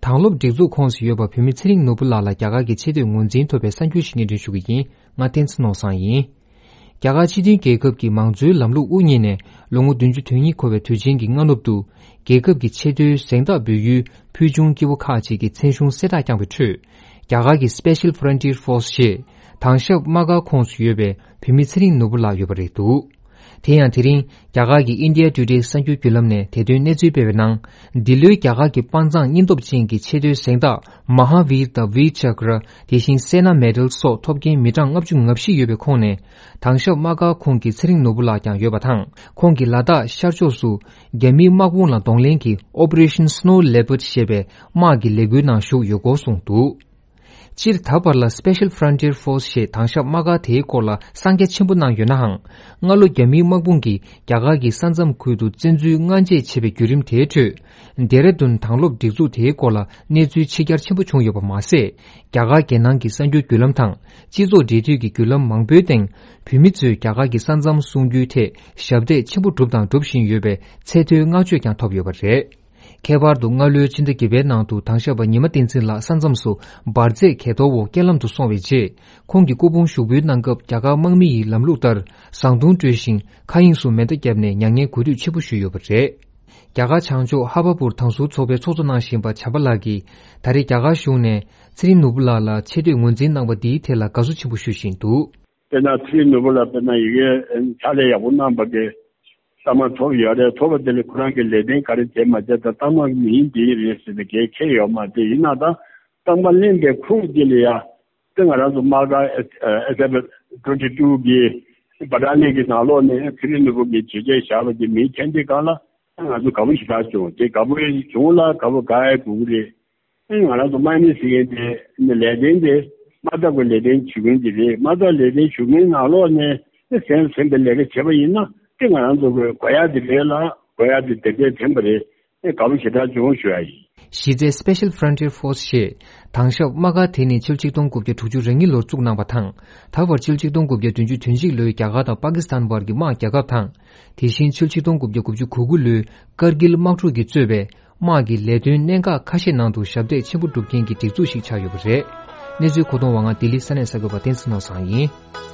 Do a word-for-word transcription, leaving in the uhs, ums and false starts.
དྭང་སློབ་སྒྲིག་འཛུགས་ཁོངས་སུ་ཡོད་པ་བོད་མི་ཚེ་རིང་ནོར་བུ་ལགས་ལ་རྒྱ་གར་གྱི་ཆེ་བསྟོད་ངོས་འཛིན་ཐོབ་པའི་གསར་འགྱུར་ཞིག་སྙན་སྒྲོན་ཞུ་གི་ཡིན། ང་བསྟན་འཛིན་ནོར་བཟང་ཡིན། རྒྱ་གར་སྤྱི་མཐུན་རྒྱལ་ཁབ་ཀྱི་མང་གཙོའི་ལམ་ལུགས་དབུ་བརྙེས་ནས་ལོ་ངོ་བདུན་ཅུ་དོན་གཉིས་འཁོར་བའི་དུས་ཆེན་གྱི་སྔ་ནུབ་ཏུ། རྒྱལ་ཁབ་ཀྱི་ཆེས་མཐོའི་གཟེངས་རྟགས་འབུལ་ཡུལ་ཕུལ་བྱུང་སྐྱེ་བོ་ཁག་ཅིག་གི་མཚན་གཞུང་གསལ་བསྒྲགས་བསྐྱངས་པའི་ཁྲོད། རྒྱ་གར་གྱི་Special Frontier Force ཞེས་དྭང་ཞབས་དམག་སྒར་ཁོངས་སུ་ཡོད་པའི་བོད་མི་ཚེ་རིང་ནོར་བུ་ལགས་ཡོད་པ་རེད་འདུག་དེ་ཡང་དེ་རིང་རྒྱ་གར་གྱི་India Today གསར་འགྱུར་བརྒྱུད་ལམ་ནས་དེ་དོན་གནས་ཚུལ་སྤེལ་བའི་ནང་། འདི་ལོའི་རྒྱ་གར་གྱི་དཔའ་མཛངས་སྙིང་སྟོབས་ཅན་གྱི་ཆེས་མཐོའི་གཟེངས་རྟགས་Mahavir དང་Veer Chakra དེ་བཞིན་Sena Medal སོགས་ཐོབ་མཁན་མི་གྲངས་ལྔ་བཅུ་ང་བཞི་ཡོད་པའི་ཁོངས་ནས། དྭང་ཞབས་དམག་སྒར་ཁོངས་ཀྱི་ཚེ་རིང་ནོར་བུ་ལགས་ཀྱང་ཡོད་པ་དང་། ཁོང་གིས་ལ་དྭགས་ཤར་ཕྱོགས་སུ་རྒྱ་མིའི་དམག་དཔུང་ལ་གདོང་ལེན་གྱི་Operation Snow Leopard ཞེས་པའི་དམག་གི་ལས་འགུལ་ནང་ཞུགས་ཡོད་སྐོར་གསུངས་འདུག་སྤྱིར་ད་བར་ལ་Special Frontier Force ཞེས་དྭང་ཞབས་དམག་སྒར་དེའི་སྐོར་ལ་གསང་རྒྱ་ཆེན་པོ་གནང་ཡོད་ནའང་། སྔ་ལོ་རྒྱ་མིའི་དམག་དཔུང་གིས་རྒྱ་གར་གྱི་ས་མཚམས་ཁུལ་དུ་བཙན་འཛུལ་སྔ་རྗེས་བྱས་པའི་བརྒྱུད་རིམ་དེའི་ཁྲོད། ལྡེ་ར་ལྡུན་དྭང་སློབ་སྒྲིག་འཛུགས་དེའི་སྐོར་ལ་གནས་ཚུལ་ཕྱི་གྱར་ཆེན་པོ་བྱུང་ཡོད་པ་མ་ཟད། རྒྱ་གར་རྒྱལ་ནང་གི་གསར་འགྱུར་བརྒྱུད་ལམ་དང་སྤྱི་ཚོགས་འབྲེལ་མཐུད་ཀྱི་བརྒྱུད་ལམ་མང་པོའི་སྟེང་། བོད་མི་ཚོས་རྒྱ་གར་གྱི་ས་མཚམས་སྲུང་རྒྱུའི་ཐད་ཞབས་འདེགས་ཆེན་པོ་བསྒྲུབས་དང་སྒྲུབ་བཞིན་ཡོད་པའི་ཚད་མཐོའི་བསྔགས་བརྗོད་ཀྱང་ཐོབ་ཡོད་པ་རེད། ཁྱད་པར་དུ་སྔ་ལོའི་ཕྱི་ཟླ་བརྒྱད་པའི་ནང་དུ་དྭང་ཞབས་པ་ཉི་མ་བསྟན་འཛིན་ལགས་ས་མཚམས་སུ་འབར་རྫས་གས་གཏོར་འོག་རྐྱེན་ལམ་དུ་སོང་བའི་རྗེས། ཁོང་གི་སྐུ་ཕུང་ཞུགས་འབུལ་གནང་སྐབས་རྒྱ་གར་དམག་མི་ཡི་ལམ་ལུགས་ལྟར་བཟང་བརྡུང་སྤྲོད་ཞིང་། མཁའ་དབྱིངས་སུ་མེ་མདའ་བརྒྱབ་ནས་མྱ་ངན་གུས་འདུད་ཆེན་པོ་ཞུས་ཡོད་པ་རེད། རྒྱ་གར་བྱང་ཕྱོགས་ཧ་བ་པུར་དྭང་ཟུར་ཚོགས་པའི་ཚོགས་གཙོ་གནང་བཞིན་པ་བྱམས་པ་ལགས་ཀྱིས། ད་རེས་རྒྱ་གར་གཞུང་ནས་ཚེ་རིང་ནོར་བུ་ལགས་ལ་ཆེ་བསྟོད་ངོས་འཛིན་གནང་བ་འདིའི་ཐད་ལ་དགའ་བསུ་ཆེན་པོ་ཞུ་བཞིན་འདུག་དཔེར་ན་ཚེ་རིང་ནོར་བུ་ལགས་དཔེར་ན་ཡི་གེ་ཕྱག་ལས་ཡག་པོ་གནང་བ་གི་གཏའ་མ་ཐོབ་ཡོད་རེད། ཐོབ་པ་དེ་ལས་ཁོ་རང་གི་ལས་དོན་ག་རེ་བྱས་མ་བྱས་དང་གཏའ་མ་མིང་འདི་རེད་ཟེར་ཏེ་གལ་འཁེལ་ཡོད་མ་རེད། ཡིན་ན་ད་གཏམ་ཁ་གླེང་པའི་ཁུངས་དེ་ལ་ཡ། དེ་ང་རང་ཚོ་དམག་སྒར་ཨེ་ཨེ་སེ་ཕི་ཊི་ཝེན་ཊི་ཊུ་གི་བ་ཊ་ལན་གྱི་ནང་ལོགས་ནས་ཚེ་རིང་ནོར་བུ་གི་བརྗོད་བྱ་བཞག་པ་དེ་མིང་འཐེན་དུས་སྒང་ལ་ང་ཚོ་དགའ་པོ་ཞེ་དྲག་བྱུང་། དེ་དགའ་པོ་བྱུང་ལ་དགའ་པོ་དགའ་ཡ་དགོས་ཀྱི་རེད། ཨེ་ང་རང་ཚོ་དམག་མི་ཟེར་མཁན་དེ་ནི་ལས་དོན་དེ་དམག་འཐབ་ཀྱི་ལས་དོན་བྱེད་མཁན་དེ་རེད། དམག་འཐབ་ལས་དོན་བྱེད་མཁན་ནང་ལོགས་ནས་ཨེ་གཟེངས་གཟེངས་པའི་ལས་ཀ་བྱས་པ་ཡིན་ན་དེ་ང་རང་ཚོ་གི་དགོས་ཡ་དེ་རེད་ལ་དགོས་ཡ་དེ་དེ་འདྲས་དྲན་པ་རེད། ཨེ་དགའ་པོ་ཞེ་དྲག་བྱུང་ཞུ་ཡ་ཡིན། གཞི་རྩའི་Special Frontier Force ཞེས་དྭང་ཞབས་དམག་སྒར་དེ་ནི་ཕྱི་ལོ་ཆིག་སྟོང་དགུ་བརྒྱ་དྲུག་ཅུ་རེ་གཉིས་ལོར་བཙུགས་གནང་བ་དང་། ད་བར་ཕྱི་ལོ་ཆིག་སྟོང་དགུ་བརྒྱ་བདུན་ཅུ་དོན་གཅིག་ལོའི་རྒྱ་གར་དང་པ་ཀི་སི་ཐན་བར་གྱི་དམག་རྒྱག་སྐབས་དང་། དེ་བཞིན་ཕྱི་ལོ་ཆིག་སྟོང་དགུ་བརྒྱ་དགུ་བཅུ་གོ་དགུ་ལོའི་ཀར་གིལ་དམག་འཁྲུག་གིས་གཙོས་པའི་དམག་གི་ལས་དོན་གནད་འགག་ཁ་ཤས་ནང་དུ་ཞབས་འདེགས་ཆེན་པོ་བསྒྲུབས་མཁན་གྱི་སྒྲིག་འཛུགས་ཤིག་ཆགས་ཡོད་པ་རེད། གནས་ཚུལ་མཁོ་གཏོང་བ་ང་ལྡི་ལི་ས་གནས་གསར་འགོད་པ་བསྟན་འཛིན་ནོར་བཟང་ཡིན།